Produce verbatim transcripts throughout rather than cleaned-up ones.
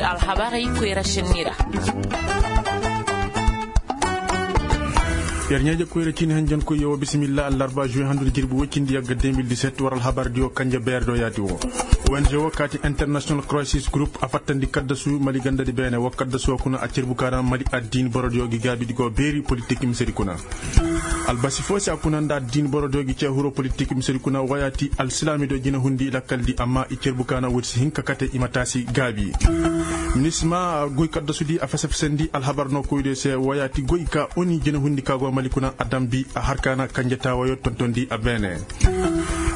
Alhabarey koyra senni ra. Yer ɲaaja koyra ciini hanjankoy yoo bisimilla allarba juwe handu nda jirbi woy cindi yagga deux mille dix-sept war alhabardiyo kanje beerdo yaati woo. Ong woo kaati international crisis group a fattandi kaddasu mali gandadi beene woo kaddasu woo kuna a cerbu kaana mali addiini borodiyo gi gaabidi go beeri politik misedi kuna. Albasi foo si a kuna nda addiini borodiyo gi cee huroo politik misedi kuna woo yaati alsilaamidiyo jinahundi lakkaldi amma i cerbu kaana woodi si hin ka kate i ma taasi gaabi. Minisma goy kaddasudi a fese-fesandi alhabar nookoydiyo se woo yaati goy ka oni jinahundi ka go mali kuna a dambi a har kaana kanje taawayo tontondi a beene.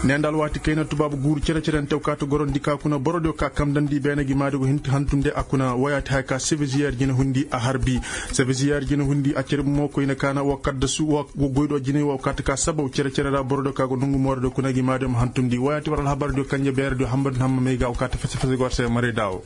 Ne nda alwaati kayna tubaabu guuru cere-cerente woo kaati gorondi ka kuna borodiyo ka kamdandi beene gi maadi go hin ka hantunde a kuna woo yaati haya ka sebeziyer jinahundi a harbi. Sebeziyer jinahundi a cerbu mo koyne kaana woo kaddasu woo goydo jinay woo kaati ka sabaw cere-cere ra borodiyo ka go nongu moorodiyo kuna gi maadiyo ma hantundi woo yaati war alhabardiyo kanje beerediyo hambadi hamma may ga woo kaati fese-fese go war se maray daawo.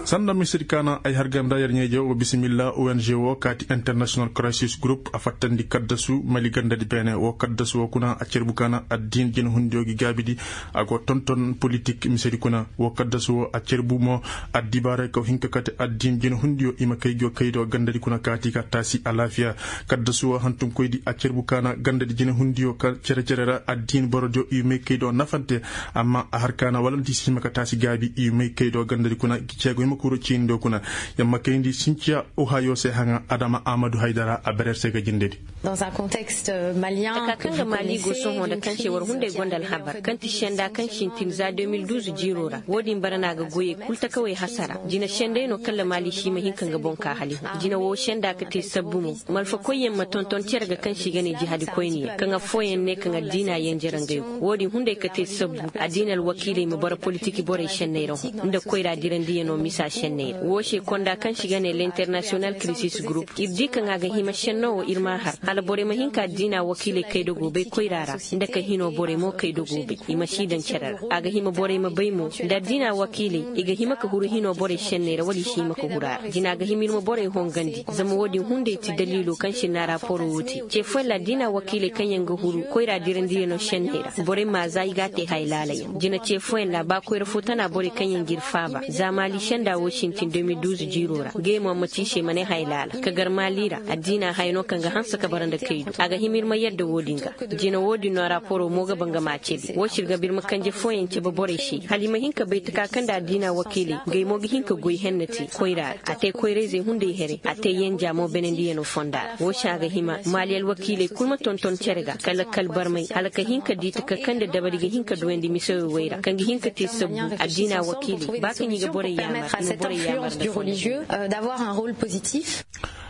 Sanda misedi kaana ay har ganda yer ɲeeje woo bisimilla ong woo kaati international crisis group a fattandi kaddasu mali gandadi beene woo kaddasu woo kuna a cerbu kaana addiini jinahundiyo gi gaabidi. A go tonton politik misedi kuna woo kaddasu woo a cerbu mo addibaaray kaw hin ka kate addiini jinahundiyo i ma kay gi woo kaydiyo gandadi kuna kaati ka taasi alaafiya. Kaddasu woo hantunkoydi a cerbu kaana gandadi jinahundiyo ka cere-cere ra addiini borodiyo i may kaydiyo nafante. Amma a har kaana walanti si hima ka taasi gaabi i may kaydiyo gandadi kuna gi ceego hima ka huru ciinidiyo kuna. Yamma kayndi sinciya ohayo se haŋa adama amadu haydara a berer se ga jindedi. Taka kaŋ ga mali go sohõ nda kaŋ se war hunday gonda alhabar kaŋ ti senda kaŋ sintin za deux mille douze jiiro ra woodin bara no a ga goyey kul takawey hasara. Jina senday no kalla mali si ma hin ka nga boŋ ka hali hõ jina woo senda ka te sabbu mo. Malfakoyyaŋ ma tonton cere ga kaŋ se i ga ne jihadi koyniyaŋ kaŋ affooyaŋ ne kaŋ addiina yanjara ngey go woodin hunday ka te sabbu. Addiina alwakiiley ma bara politik borey senney ra hõ nda koyra dirandiyaŋo misa senney ra woo se konda kaŋ se i ga ne l'international crisis group ir di kaŋ a ga hima senno woo ir m'a har hala borey ma hin ka addiina wakiiley kay dogoobey koyra ra nda ka hino borey mo kay dogoobey i ma si daŋ cere ra. A ga hima borey ma bay mo nda addiina wakiiley i ga hima ka huru hino borey senney ra wala i si hima ka huru a ra jina ga hima ir ma borey hongandi zama woodin hunday ti daliilo kaŋ se naaraaporo woo te ce fooyaŋ ra addiina wakiiley kaŋ yaŋ ga huru koyra dirandiyaŋo senney ra borey ma za i g'a te haya laalayaŋ jina ce fooyaŋ ra ba koyra foo tana borey kaŋ yaŋ g'ir faaba za maali senda woo sintin deux mille douze jiiro ra ngey mo a ma ci i se ma ne haya laala ka gar maali ra. Addiina haya no kaŋ ga hanse ka bara nda kaydu a ga hima ir ma yadda woodin ga. Jina woodin no raaporo mo ga ba nga m'a cebi woo se ir ga ba ir ma kanje fooyaŋ cebe borey se hala i ma hin ka bay taka kaŋ nda addiina wakiiley ngey mo ga hin ka goy henne te koyra ra a te koyrayzey hunday here a te yanja mo benendiyaŋo fonda ra woo se a ga hima maali alwakiiley kul ma tonton cere ga ka lakkal barmay hala ka hin ka di taka kaŋ nda dabari ga hin ka duwandi misawey wey ra kaŋ ga hin ka te sabbu. Addiina wakiiley ba kaŋ i ga borey yaamar i ma borey yaamar nda fo.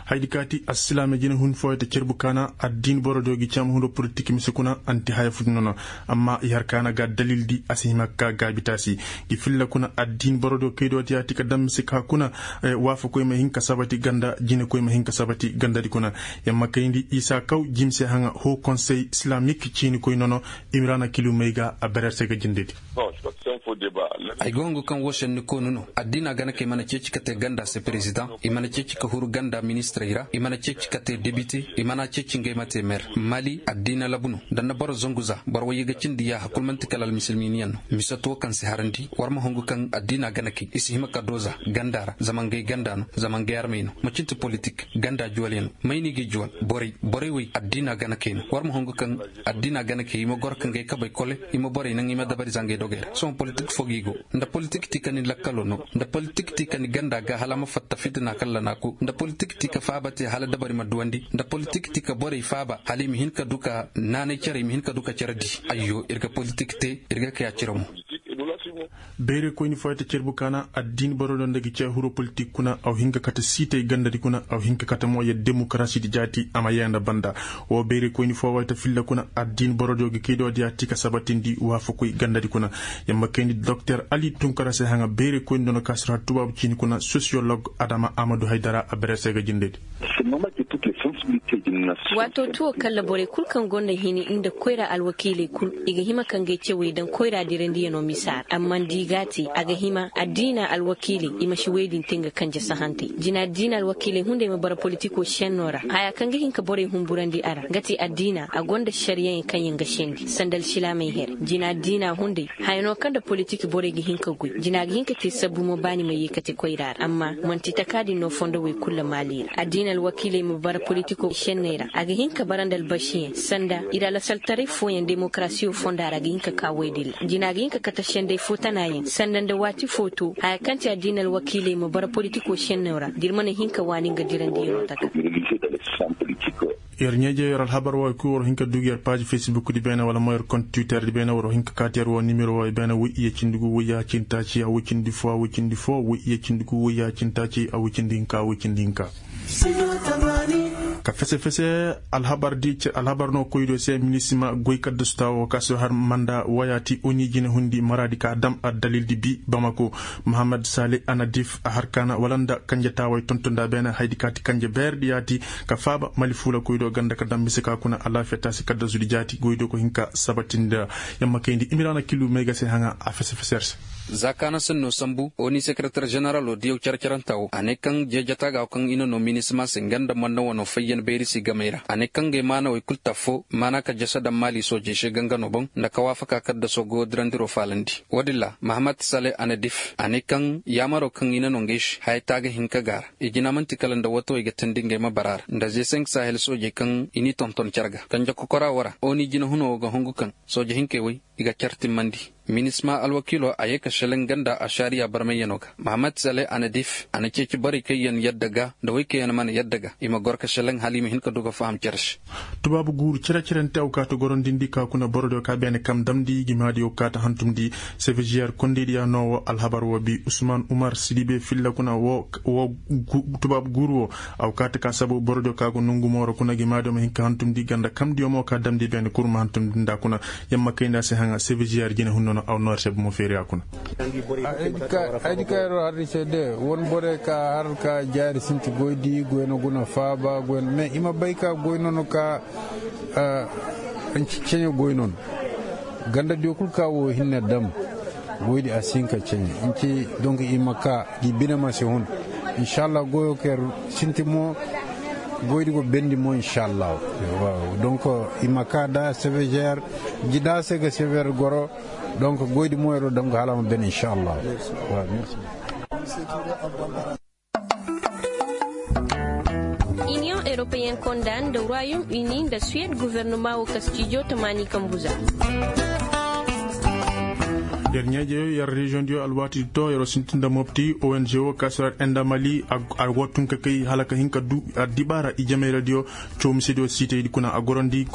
Haydi kaati alsilaame jinahun fooyey te cerbu kaana addiini borodiyo gi caama hundo politik mise kuna anti haya fudi nono. Amma i har kaana ga dalildi a si hima ka gaabitaasi gi filla kuna addiini borodiyo kaydiyo ti yaati ka daŋ mise ka kuna waafakoy ma hin ka sabati ganda jinekoy ma hin ka sabati gandadi kuna. Yamma kayndi isa kaw jimse haŋa hoo konsey silamik ciinikoy nono. Imiraana kiliw may ga a berer se ga jindedi. Ay go hungu kaŋ woo senni koonu no addiina gana ka i mana ceeci ka te ganda se perezidaŋ i mana ceeci ka huru ganda ministirey ra i mana ceeci ka te debite i mana ceeci ngey ma te mer mali addiina labu no. Nda nda boro zangu za boro wayye ga cindi yaaha kul man'ti kala almisilminiyaŋ no. Mise to kaŋ si harandi war ma hungu kaŋ addiina gana ka i i si hima ka doo za ganda ra zama ngey ganda no zama ngey armey no macin ti politik ganda juwalyaŋ no. May no i ga i juwal borey borey wey addiina gana ka i no war ma hungu kaŋ addiina gana ka i ma goro ka ngey kabey kole i ma borey naŋ i ma dabari za ngey dogey ra sohõ politik fo ga i go. Nda politik ti ka ni lakkalo no nda politik ti ka ni ganda ga hala a ma fatta fitina kalla na ku nda politik ti ka faaba te hala dabari ma duwandi nda politik ti ka borey faaba hala i ma hin ka du ka naanay cere i ma hin ka du ka cere di. Ayyo ir ga politik te ir ga kay a cire mo. Beerekoyni fooyey te cerbu kaana addiini boro do nda gi cee huro politik kuna aw hin ka kate siitey gandadi kuna aw hin ka kate mo yer demokarasidi jaati a ma yee nda banda. Woo beerekoyni fooyey te filla kuna addiini borodiyo gi kaydiyo diya ti ka sabatindi waafakoy gandadi kuna. Yer ma kayndi doktor ali tunkara se haŋa beerekoyni dono ka sara tubaabu ciini kuna sosiyolog adama amadu haydara a bere se ga jindedi. Waato tuwo kalla borey kul kaŋ gonda hini nda koyra alwakiiley kul, i ga hima ka ngey cewey daŋ koyra dirandiyanoo misa ra amma nda i g'a te a ga hima addiina alwakiiley i ma si wey din te nga kanje sahantey jina addiina alwakiiley hunday ma bara politikoo sennoo ra haya kaŋ ga hin ka borey humburandi a ra nga te addiina a gonda ašariyayaŋ kaŋ yaŋ ga sendi sanda alsilaamey here jina addiina hunday haya no kaŋ nda politik borey ga hin ka goy jina ga hin ka te sabbu mo ba ni ma yee kate koyra ra amma man'ti taka din no fondo wey kul maali ra addiina alwakiiley ma bara politikoo senney ra a ga hin ka bara nda albasiyaŋ sanda ir alasaltaray fooyaŋ demokarasiyo fonda ra ga hin ka ka woy din ra jina ga hin ka kate sendey fo tanayaŋ sanda nda waati fo to haya kaŋ ti addiina alwakiiley ma bara politikoo senney ra da ir mana hin ka waani nga dirandiyanoo taka. Yer ɲeeje yer alhabar wo kul war hin ka dugu yer paazi fesbuk di beene wala mo yer kont twitter di beene war hin ka kaati yer wo nimero wo beene woy iyye cindi gu woy ya cindi taaci a woy cindi fo a woy cindi fo woy iyye cindi gu woy ya cindi taaci a woy cindi hinka a woy cindi hinka. Ka fese fese alhabar di alhabar no koy do se minisima goy kaddasu taawo ka si har manda waya ti oni jine hundi maraadi ka dam addalil di bi bamako. Mahamad sale anadif a har kaana wala nda kanje taaway tontonda beene haydi ka ti kanje beer di yaati ka faaba mali fuula koy do ganda ka dam mise ka kuna alaafiya taasi kaddasu di jaati goy do ko hin ka sabatindi. Yamma kayndi imiraana kilu may ga se haŋa a fese fese yer se. Za kaana sennoo sambu oni sekereter ženeraloo diyaw cere-cerenta woo a ne kaŋ jeejata ga kaŋ i na noo minisima se nga nda manna wanoo fayyan bayri si gamey ra a ne kaŋ ngey maanawey kul taffoo maana ka jasa daŋ maali soojey se ganganoo boŋ nda ka waafaka kaddasoo goyo dirandiroo faalandi. Woodin ra mahamat sale anadif a ne kaŋ yaamaroo kaŋ i na noo ngey se haya taaga hinka ga a ra i jina man'ti kala nda watawey ga teendi ngey ma bara a ra nda zesenk sahel soojey kaŋ i n'i tonton cere ga kanje kokoraa woo ra oni jinahunoo woo ga hungu kaŋ sooje hinkey woy i ga cere timmandi. Minisma alwakiiloo a yee ka šelaŋ nga nda ašariya barmayyanoo ga mahamat sale anadif a na ceeci borey kaŋ yaŋ yadda ga nda wey kaŋ yaŋ mana yadda ga i ma goro ka šelaŋ hala i ma hin ka du ga faham cere se. Tubaabu guuru cere-cerente awkaata gorondindi ka kuna borodiyo ka beene kam damndi gimaadiyo kaata hantumndi. Sevežiyar kondeydiya no wo alhabar wo bi usman umar sidibe filla kuna wo tubaabu guuru wo. Awkaata ka sabu borodiyo ka go nongu mooro kuna gimaadiyo ma hin ka hantumndi ganda kamdiyo mo ka damndi beene kul ma hantumndi nda kuna. Yamma kayndi a se haŋa sevežiyar jine hunno no aw noor se bumo feeriya kuna. Ay di ka yer wo har di se de wane borey ka har ka jaari sinti goydi goy no guna faaba goy no mais i ma bay ka goy no no ka. Ceɲe goy no no ganda diyo kul ka wo hinne dam. Goydi a si hin ka ceɲe. Donk i ma ka gi bine ma si hun. Inšallah goyo ka yer sinti mo. Goydi go bendi mo inšallah. Donk i ma ka da sevežer. Gi da se ga sevežer goro. Donk goydi mo yer wo dam ga hala a ma ben inšallah. Iniyoŋ eropeyen konda nda ruwayum ini nda suwed guvernoma wo ka stijo tamaani kambu za. Yer ɲeejeyo yer reziyoŋ diyo alwaati di to yer wo sintin nda mopti ong wo ka si yer enda mali. A go tun ka kay hala ka hin ka du addibaara ijemayradiyo. Coomisediyo siitaydi kuna a gorandi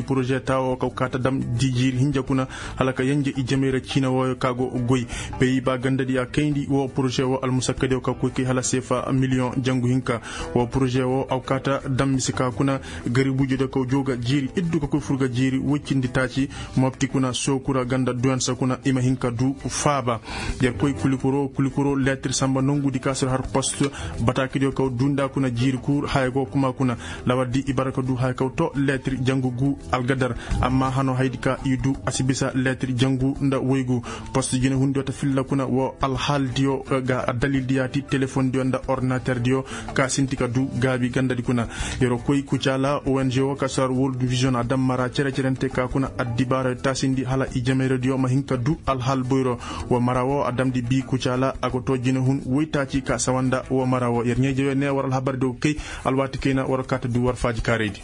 poroze taawo kaw kaata dam di jiiri hinja kuna. Hala ka yenje ijemayra ciina wooyo ka go goy. Peyi ba gandadi a kayndi woo poroze woo almusakkadiyo ka koy kay hala seefa miliyoŋ jangu hinka. Woo poroze woo aw kaata dam mise ka kuna. Garibuujediyo kaw joo ga jiiri iddu ka koy fur ga jiiri woy cindi taaci. Mopti kuna sookura ganda duwansa kuna i ma hin ka du faaba. Yer koy kulikoro kulikoro leetir samba nongudi ka si har post. Bataakidiyo kaw duu nda kuna jiiri kuur haya go kuma kuna. Lawardi i bara ka du haya kaw to leetir jangu guu algadar. Amma hano haydi ka i du a si bisa leetir jangu nda woygu. Post jinehundiyo ta filla kuna woo alhaaldiyo ga addalildiyaati telefondiyo nda ordinaterdiyo. Ka sinti ka du gaabi gandadi kuna. Yeroo koy kucaala ong woo ka si har world vision a dam mara cere-cerente ka kuna addibaara taasindi hala ijemeyradiyo ma hin ka du alhaal boyro. Woo mara woo a damndi bii kucaala a go too jinehun woytaaci ka sawa nda woo mara woo yer ɲeejeyo ne war alhabardiyo kay. Alwaati kayna war kaata du war faaji kaaraydi.